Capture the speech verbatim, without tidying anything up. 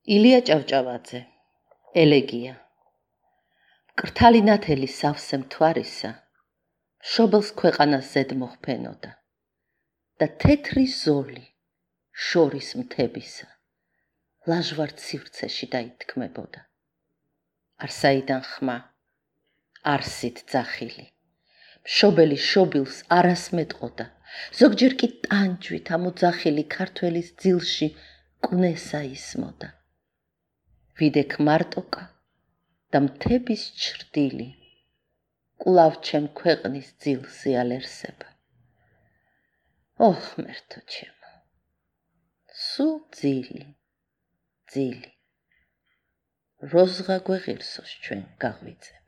ილია ჭავჭავაძე, ელეგია. მკრთალი ნათელი სავსე მთვარისა, მშობელს ქვეყანას ზედ მოხფენოდა და თეთრი ზოლი შორის მთებისა, ლაჟვარდ სივრცეში დაითქმებოდა. არსაიდან ხმა, არსით ძახილი, მშობელი შობილს არას მეტყოდა, ზოგჯერ კი ტანჯვით ამოძახილი ქართველის ძილში კვნესა ისმოდა. ვიდექ მარტოკა და მთების ჩრდილი, კვლავ ჩემ ქვეყნის ძილს იალერსება. ო ღმერთო ჩემო, სულ ძილი, ძილი, როზღა გვეღირსოს ჩვენ გაღვიძებ.